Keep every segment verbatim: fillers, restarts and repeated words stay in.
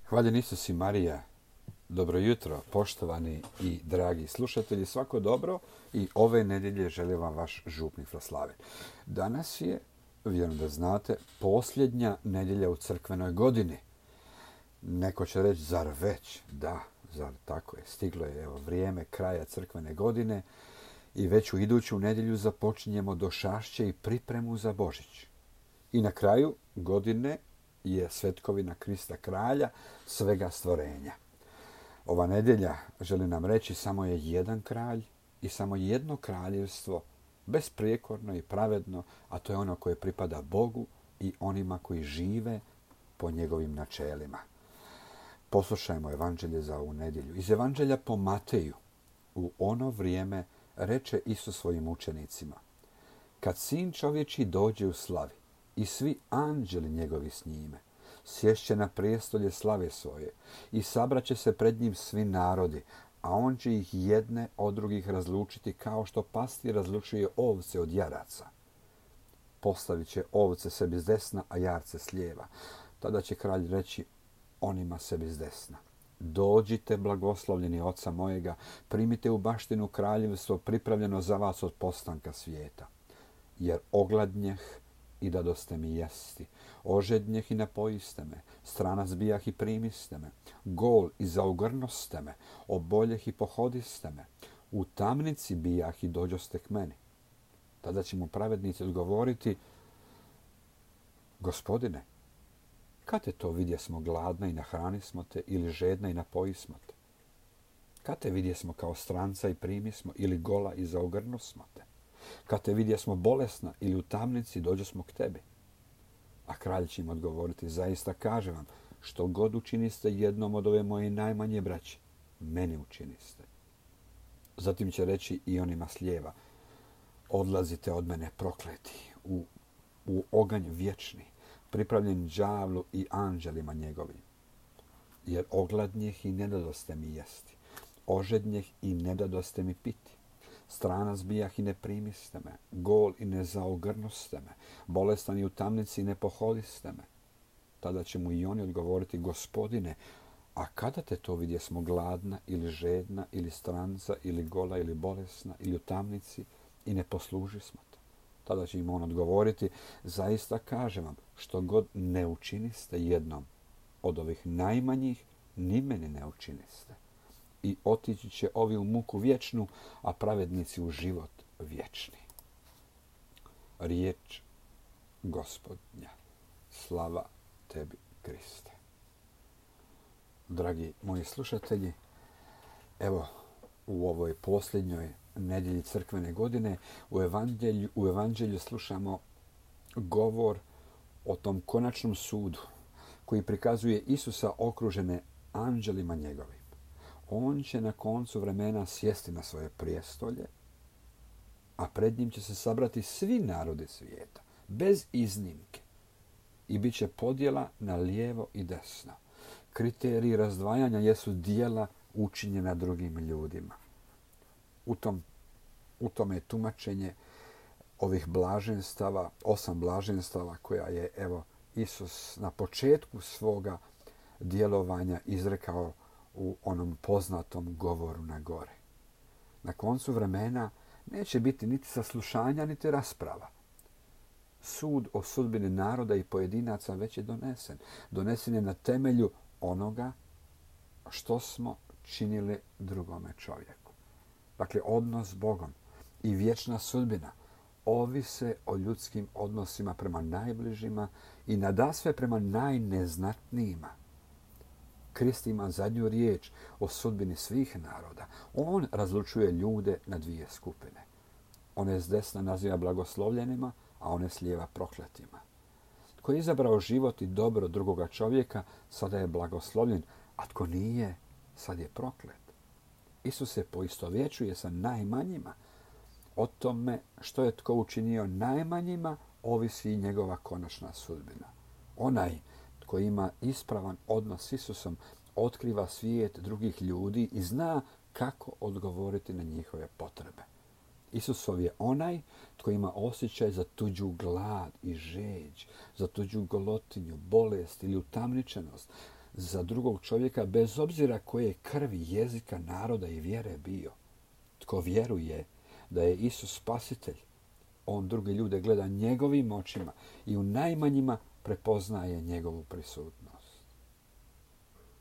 Hvaljen Isus i Marija. Dobro jutro, poštovani i dragi slušatelji. Svako dobro i ove nedjelje želim vam vaš župni Fraslaven. Danas je, vjerujem da znate, posljednja nedjelja u crkvenoj godini. Neko će reći, zar već? Da, zar tako je. Stiglo je evo, vrijeme kraja crkvene godine i već u iduću nedjelju započinjemo došašće i pripremu za Božić. I na kraju godine je svetkovina Krista kralja svega stvorenja. Ova nedjelja, želi nam reći, samo je jedan kralj i samo jedno kraljevstvo, besprijekorno i pravedno, a to je ono koje pripada Bogu i onima koji žive po njegovim načelima. Poslušajmo evanđelje za ovu nedjelju. Iz evanđelja po Mateju u ono vrijeme reče Isus svojim učenicima: kad sin čovječji dođe u slavi i svi anđeli njegovi s njime, sješće na prijestolje slave svoje i sabraće se pred njim svi narodi, a on će ih jedne od drugih razlučiti kao što pastir razlučuje ovce od jaraca. Postavit će ovce sebi s desna, a jarce s lijeva. Tada će kralj reći onima sebi s desna: dođite, blagoslovljeni oca mojega, primite u baštinu kraljevstvo pripravljeno za vas od postanka svijeta. Jer ogladnjeh i dadoste mi jesti, ožednjeh i napojiste me, stranac bijah i primiste me, gol i zaogrnoste me, oboljeh i pohodiste me, u tamnici bijah i dođoste k meni. Tada će mu pravednici odgovoriti: Gospodine, kad te to vidjesmo gladna i nahranismo te, ili žedna i napojismo te? Kad te vidjesmo kao stranca i primismo, ili gola i zaogrnosmo te? Kad te vidjesmo bolesna ili u tamnici dođosmo k tebi? A kralj će im odgovoriti: zaista kažem vam, što god učiniste jednom od ove moje najmanje braće, meni učiniste. Zatim će reći i onima s lijeva: odlazite od mene prokleti u, u oganj vječni, pripravljen đavlu i anđelima njegovim. Jer ogladnjeh i ne dadoste mi jesti, ožednjeh i ne dadoste mi piti, stranac bijah i ne primiste me, gol i ne zaogrnoste me, bolestan i u tamnici i ne pohodiste me. Tada će mu i oni odgovoriti: Gospodine, a kada te to vidjesmo gladna ili žedna ili stranca ili gola ili bolesna ili u tamnici i ne poslužismo te? Tada će im on odgovoriti: zaista kažem vam, što god ne učiniste jednom od ovih najmanjih, ni meni ne učiniste. I otići će ovi u muku vječnu, a pravednici u život vječni. Riječ Gospodnja. Slava tebi, Kriste. Dragi moji slušatelji, evo u ovoj posljednjoj nedjelji crkvene godine u evanđelju, u evanđelju slušamo govor o tom konačnom sudu koji prikazuje Isusa okružene anđelima njegovim. On će na koncu vremena sjesti na svoje prijestolje, a pred njim će se sabrati svi narodi svijeta, bez iznimke. I bit će podjela na lijevo i desno. Kriteriji razdvajanja jesu djela učinjena drugim ljudima. U, tom, u tome je tumačenje ovih blaženstava, osam blaženstava koja je evo Isus na početku svoga djelovanja izrekao u onom poznatom govoru na gore. Na koncu vremena neće biti niti saslušanja, niti rasprava. Sud o sudbini naroda i pojedinaca već je donesen. Donesen je na temelju onoga što smo činili drugome čovjeku. Dakle, odnos s Bogom i vječna sudbina ovise o ljudskim odnosima prema najbližima i nadasve prema najneznatnijima. Krist ima zadnju riječ o sudbini svih naroda. On razlučuje ljude na dvije skupine. One s desna naziva blagoslovljenima, a one s lijeva prokletima. Tko je izabrao život i dobro drugoga čovjeka, sada je blagoslovljen, a tko nije, sad je proklet. Isus se poistovjećuje sa najmanjima. O tome što je tko učinio najmanjima, ovisi i njegova konačna sudbina. Onaj tko ima ispravan odnos s Isusom otkriva svijet drugih ljudi i zna kako odgovoriti na njihove potrebe. Isusov je onaj tko ima osjećaj za tuđu glad i žeđ, za tuđu golotinju, bolest ili utamničenost, za drugog čovjeka bez obzira koje krvi, jezika, naroda i vjere bio. Tko vjeruje da je Isus spasitelj, on druge ljude gleda njegovim očima i u najmanjima prepoznaje njegovu prisutnost.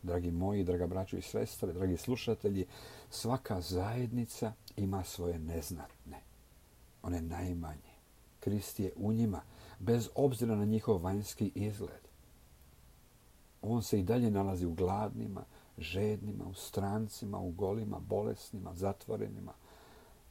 Dragi moji, draga braćo i sestre, dragi slušatelji, svaka zajednica ima svoje neznatne, one najmanje. Krist je u njima, bez obzira na njihov vanjski izgled. On se i dalje nalazi u gladnima, žednima, u strancima, u golima, bolesnima, zatvorenima.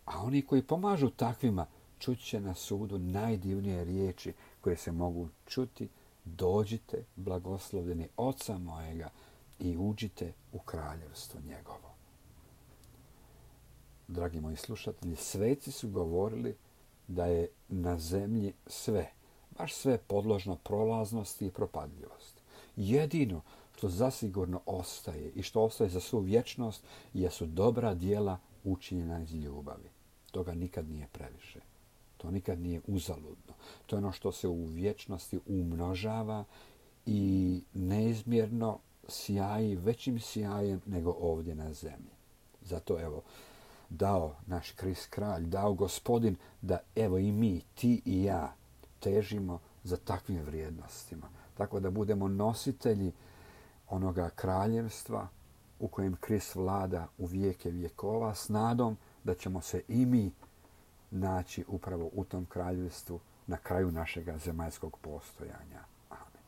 A oni koji pomažu takvima čuće na sudu najdivnije riječi koje se mogu čuti. Dođite, blagoslovljeni Oca mojega, i uđite u kraljevstvo njegovo. Dragi moji slušatelji, sveci su govorili da je na zemlji sve, baš sve podložno prolaznosti i propadljivosti. Jedino što zasigurno ostaje i što ostaje za svu vječnost jesu dobra djela učinjena iz ljubavi. Toga nikad nije previše. To nikad nije uzaludno. To je ono što se u vječnosti umnožava i neizmjerno sjaji većim sjajem nego ovdje na zemlji. Zato evo, dao naš Krist kralj, dao Gospodin da evo i mi, ti i ja, težimo za takvim vrijednostima. Tako da budemo nositelji onoga kraljevstva u kojem Krist vlada u vijeke vjekova s nadom da ćemo se i mi naći upravo u tom kraljevstvu na kraju našega zemaljskog postojanja. Amen.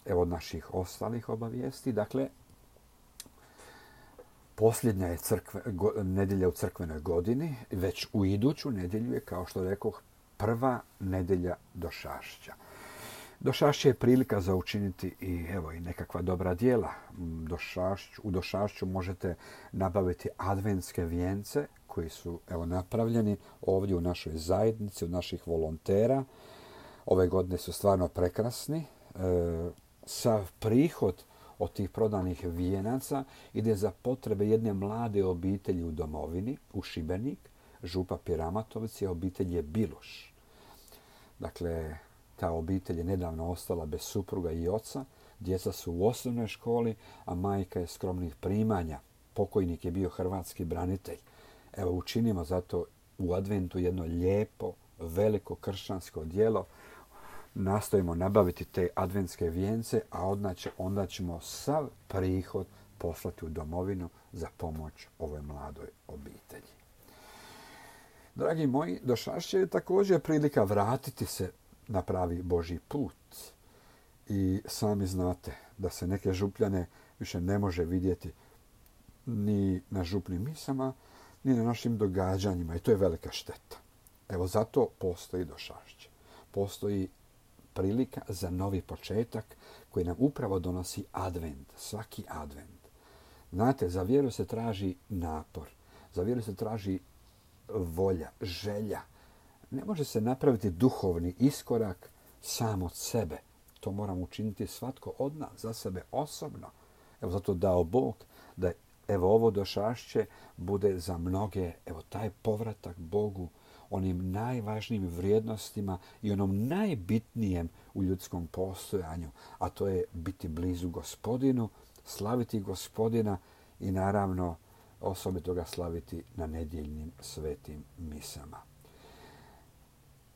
Evo od naših ostalih obavijesti. Dakle, posljednja je crkve, go, nedjelja u crkvenoj godini. Već u iduću nedjelju je, kao što rekoh, prva nedjelja Došašća. Došašće je prilika za učiniti i evo i nekakva dobra djela. Došašću, u Došašću možete nabaviti adventske vijence koji su evo napravljeni ovdje u našoj zajednici, od naših volontera. Ove godine su stvarno prekrasni. E, sav prihod od tih prodanih vijenaca ide za potrebe jedne mlade obitelji u domovini, u Šibenik, župa Piramatovci, a obitelj je Biluš. Dakle, ta obitelj je nedavno ostala bez supruga i oca, djeca su u osnovnoj školi, a majka je skromnih primanja. Pokojnik je bio hrvatski branitelj. Evo, učinimo zato u adventu jedno lijepo, veliko kršćansko djelo. Nastojimo nabaviti te adventske vijence, a onda ćemo sav prihod poslati u domovinu za pomoć ovoj mladoj obitelji. Dragi moji, Došašće je također prilika vratiti se na pravi Božji put. I sami znate da se neke župljane više ne može vidjeti ni na župnim misama, ni na našim događanjima. I to je velika šteta. Evo zato postoji Došašće. Postoji prilika za novi početak koji nam upravo donosi advent, svaki advent. Znate, za vjeru se traži napor, za vjeru se traži volja, želja. Ne može se napraviti duhovni iskorak sam od sebe. To moramo učiniti svatko od nas, za sebe osobno. Evo zato dao Bog da evo ovo Došašće bude za mnoge, evo taj povratak Bogu, onim najvažnijim vrijednostima i onom najbitnijem u ljudskom postojanju, a to je biti blizu Gospodinu, slaviti Gospodina i naravno osobito ga slaviti na nedjeljnim svetim misama.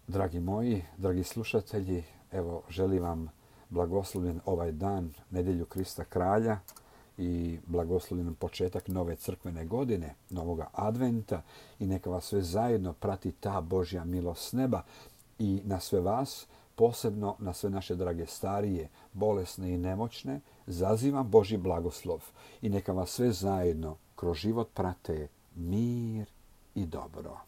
Dragi moji, dragi slušatelji, evo želim vam blagoslovljen ovaj dan, nedjelju Krista kralja i blagoslovljen početak nove crkvene godine, novoga adventa i neka vas sve zajedno prati ta Božja milost s neba i na sve vas, posebno na sve naše drage starije, bolesne i nemoćne, zazivam Božji blagoslov i neka vas sve zajedno kroz život prate mir i dobro.